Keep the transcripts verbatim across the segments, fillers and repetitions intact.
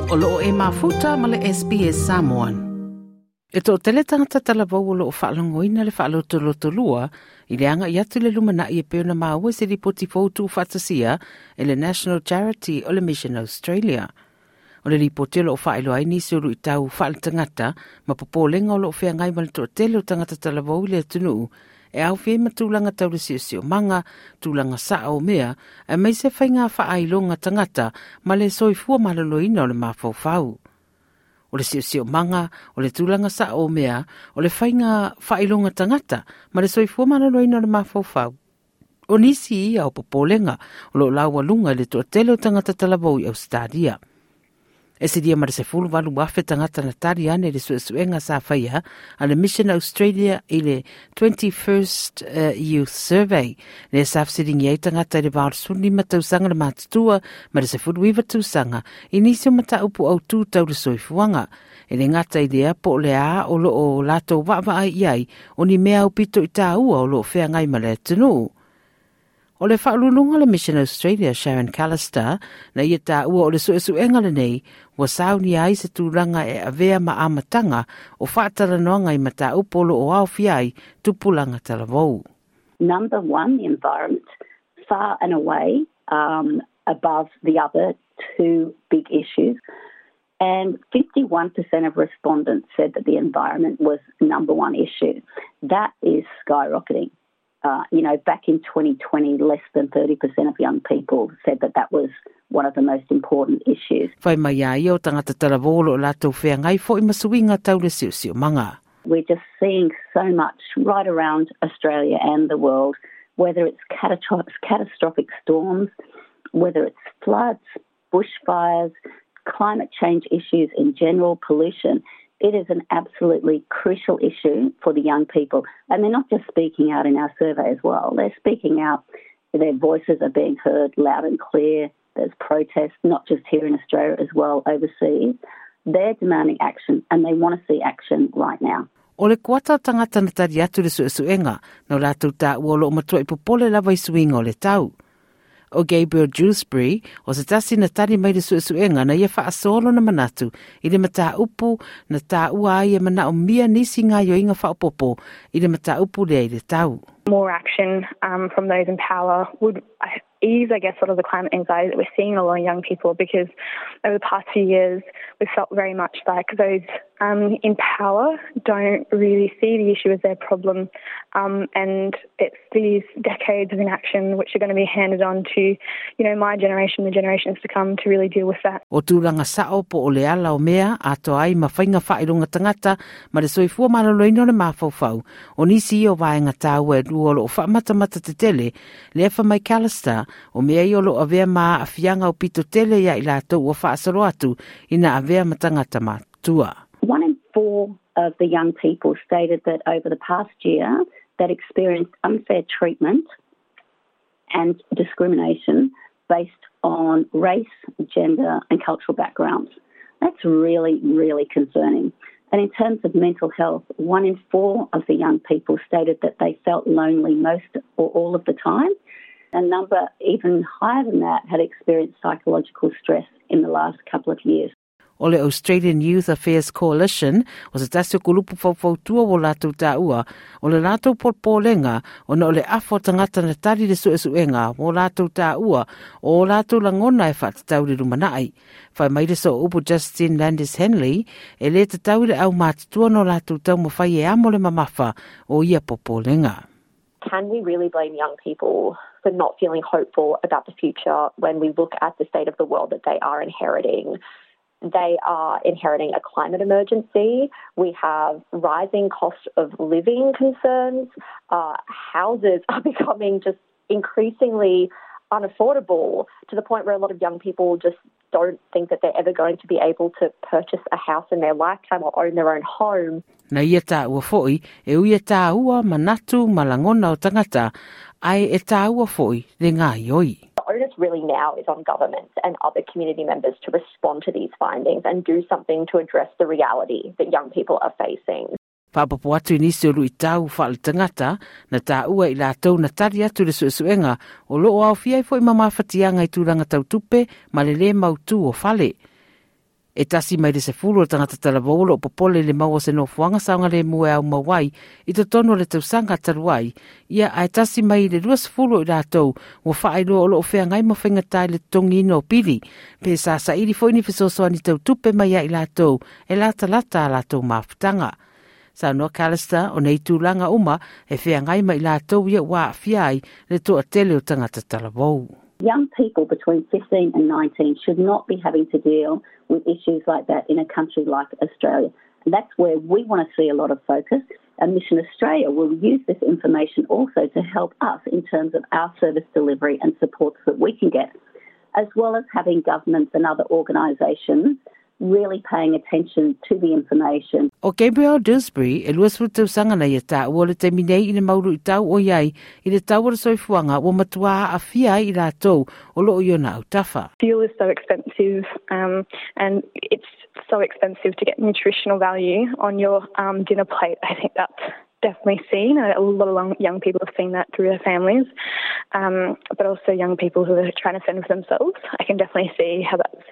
O loo e mafuta ma le S B S Samoan. E to tele tangata talavou o loo whaalongoina le whaalotolotolua i le anga i atu le lumanai e peona maua se ripoti foutu whatasia e le National Charity o le Mission Australia. O le ripoti o loo whaeloa ai nisi o lui tau whaalatangata ma popolenga o loo wheangai ma le toatele o tangata talavou i le atunuu e au whie ma tūlanga tau le siosio manga, tūlanga saa o mea, e mai se whainga whaailonga tangata ma le soifua maloloina o le mafaufau. O le siosio manga, o le tūlanga saa o mea, o le whainga whaailonga tangata ma le soifua maloloina o le mafaufau. O nisi ia o popolenga o lo laua lunga i le toatele o tangata talavou i Australia. E se dia mara se fulu walu wafe tangata na tari ane le suesuenga sa whaia a le Mission Australia i le twenty-first uh, Youth Survey. Le sa whasiringi ai tangata i le vaorsuni matausanga le matutua ma le se fulu iwa tausanga i nisi o mataupu au tūtau le soifuanga. E le ngata i lea po le a o lo o lātou waawaa i ai o ni mea au pito i tāua o lo o whea ngai ma le atunuu. O le whaalulunga le Mission Australia Sharon Callister na ia tāua o le suesuenga le nei ua sauni ai se tūlanga e avea ma amatanga o whaatalanoanga i mataupu o o aofia ai tupulanga talavou. Number one, the environment, far and away um, above the other two big issues. And fifty-one percent of respondents said that the environment was number one issue. That is skyrocketing. Uh, you know, back in twenty twenty, less than thirty percent of young people said that that was one of the most important issues. Whai mai ai o tangata talavou o lātou wheangai fo i masuinga tau le siosio manga. We're just seeing so much right around Australia and the world, whether it's catastro- catastrophic storms, whether it's floods, bushfires, climate change issues in general, pollution. It is an absolutely crucial issue for the young people. And they're not just speaking out in our survey as well. They're speaking out. Their voices are being heard loud and clear. There's protests, not just here in Australia as well, overseas. They're demanding action and they want to see action right now. O le kuata tangata na tari atu le suesuenga, no lātou tā ua lo matua i popole lava i suinga o le tau. O Gabriel Dewsbury, o se tasi na tari mai le suesuenga na ia whaasolo na manatu i le mataupu na tā ua ai e mana o mia nisi ngā yoinga whaopopo i le mataupu lea i le tau. More action um, from those in power would ease, I guess, sort of the climate anxiety that we're seeing in a lot of young people, because over the past few years we've felt very much like those um, in power don't really see the issue as their problem, um, and it's these decades of inaction which are going to be handed on to, you know, my generation, the generations to come, to really deal with that. O tūranga sao po o le ala o mea, ato ai ma whainga whailonga tangata, ma le soifua maloloina o le mafaufau, o nisi o vaenga tāua e lua o lo o whaamatamata te tele, le efa mai Callister, o mea i o lo avea maa afianga o pito tele ia i lātou ua whaasalo atu ina avea matangata mātua. One in four of the young people stated that over the past year that experienced unfair treatment and discrimination based on race, gender and cultural backgrounds. That's really, really concerning. And in terms of mental health, one in four of the young people stated that they felt lonely most or all of the time. A number even higher than that had experienced psychological stress in the last couple of years. O le Australian Youth Affairs Coalition, o se tasi o kulupu faufautua o lātou tāua, o le lātou polpolenga, o na o le afo tangata na tari le suesuenga, o lātou tāua, o lātou langona e whaatatau le lumanai. Whai mai le so upu Justin Landis Henley, e le tatau le au mātutua no lātou tau mawhai e amo le mamafa o ia popolenga. Can we really blame young people for not feeling hopeful about the future when we look at the state of the world that they are inheriting? They are inheriting a climate emergency. We have rising cost of living concerns. Uh, houses are becoming just increasingly unaffordable to the point where a lot of young people just don't think that they're ever going to be able to purchase a house in their lifetime or own their own home. Na ia tāua foi, e uia tāua manatu malangona o tangata, ai e tāua foi le ngā ioi. The onus really now is on governments and other community members to respond to these findings and do something to address the reality that young people are facing. Whaapapo atu i nisi o lui tau whaale tangata, na tāua i lātou na tari atu le suesuenga o loo au fiai foi mamawhatianga i tūranga tautupe ma le le mautu o fale. E tasi mai le sefulu o tagata talavou o loo popole i le maua o se nofoaga saogalemu e aumau ai i totonu o le tausaga talu ai, ia ae tasi mai i le luasefulu o i latou ua faailoa o loo feagai ma faigata i le totogiina o pili, pe sa saili foi ni fesoasoani tautupe mai ia i latou e latalata a latou mafutaga. Saunoa Callister o nei tulaga uma e feagai ma i latou ia ua aafia ai le toatele o tagata talavou. Young people between fifteen and nineteen should not be having to deal with issues like that in a country like Australia. And that's where we want to see a lot of focus. And Mission Australia will use this information also to help us in terms of our service delivery and supports that we can get, as well as having governments and other organisations really paying attention to the information. O Gabriel Dewsbury, e luasefulu tausaga na ia taua o le taimi nei i le mau luitau o iai i le tau o le soifuaga ua matua aafia ai i latou o loo i ona autafa. Fuel is so expensive, um, and it's so expensive to get nutritional value on your um, dinner plate. I think that's definitely seen. A lot of young people have seen that through their families, um, but also young people who are trying to fend for themselves. I can definitely see how that's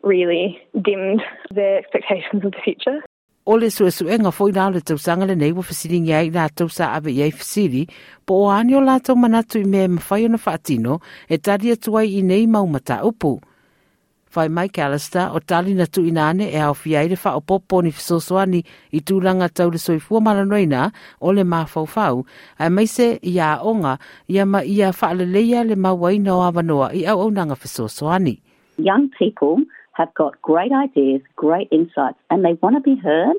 really dimmed their expectations of the future. O le suesuega foi la o le tausaga lenei ua fesiligia ai i latou sa ave i ai fesili, po o a ni o latou manatu i mea e mafai ona faatino e tali atu ai i nei mau mataupu. Fai mai Callister o tali na tuuina ane e aofia ai le faaopoopo o ni fesoasoani i tulaga tau le soifua maloloina o le mafaufau, aemaise i aoga ia ma ia faaleleia le mauaina o avanoa i auaunaga fesoasoani. Young people have got great ideas, great insights, and they want to be heard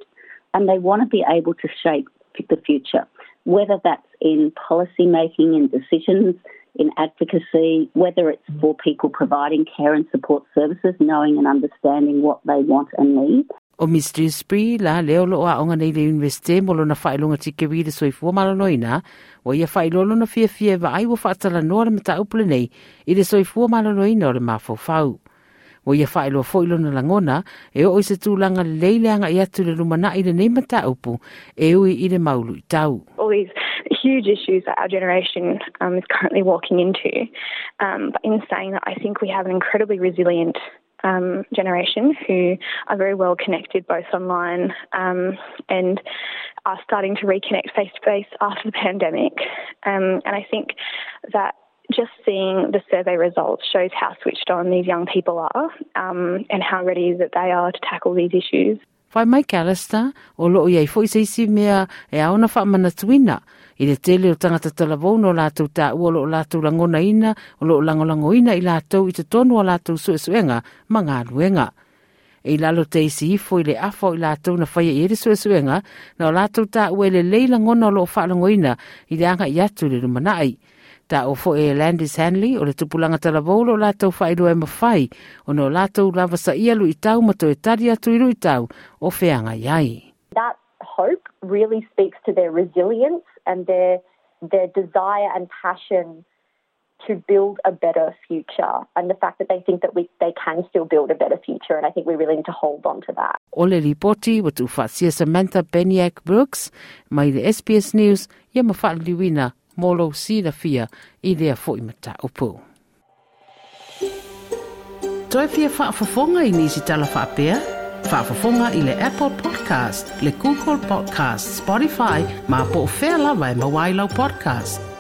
and they want to be able to shape the future, whether that's in policy making and decisions, in advocacy, whether it's for people providing care and support services, knowing and understanding what they want and need. O Miss Dewsbury la lea o loo aoga nei i le Universite mo lona faailoga tikeri i le soifua maloloina, ua ia faailoa lona fiafia e vaai ua faatalanoa le mataupu lenei i le soifua maloloina o le mafaufau. Ua ia faailoa foi lona lagona e oo i se tulaga lelei le agai atu i le lumanai lenei mataupu e ui i le mau luitau. All these huge issues that our generation um, is currently walking into. Um, but in saying that, I think we have an incredibly resilient um, generation who are very well connected both online um, and are starting to reconnect face-to-face after the pandemic. Um, and I think that just seeing the survey results shows how switched on these young people are um, and how ready that they are to tackle these issues. Fai mai Callister, o loo iai foi se isi mea e ao ona faamanatuina i le tele o tagata talavou no latou taua o loo latou lagonaina, o loo lagolagoina i latou i totonu o latou suesuega ma galuega. E i lalo te isi ifo i le afa o i latou na faia i ai le suesuega, na o latou taua e lelei lagona o loo faalagoina i le agai atu i le lumanai. Taua foi e Landis Hanley o le tupulaga talavou o latou faailoa e mafai ona o latou lavasaia luitau ma toe tali atu i luitau o feagai ai. That hope really speaks to their resilience and their, their desire and passion to build a better future, and the fact that they think that we, they can still build a better future, and I think we really need to hold on to that. O le lipoti ua tuufaasia Samantha Beniak Brooks mai le S B S News ia ma faaliliuina mo lou silafia i lea foi mataupu. Toe fia faafofoga i nisi tala faapea? Faafofoga i le Apple Podcast, le Google Podcast, Spotify, ma po o fea lava e maua ai lau podcast.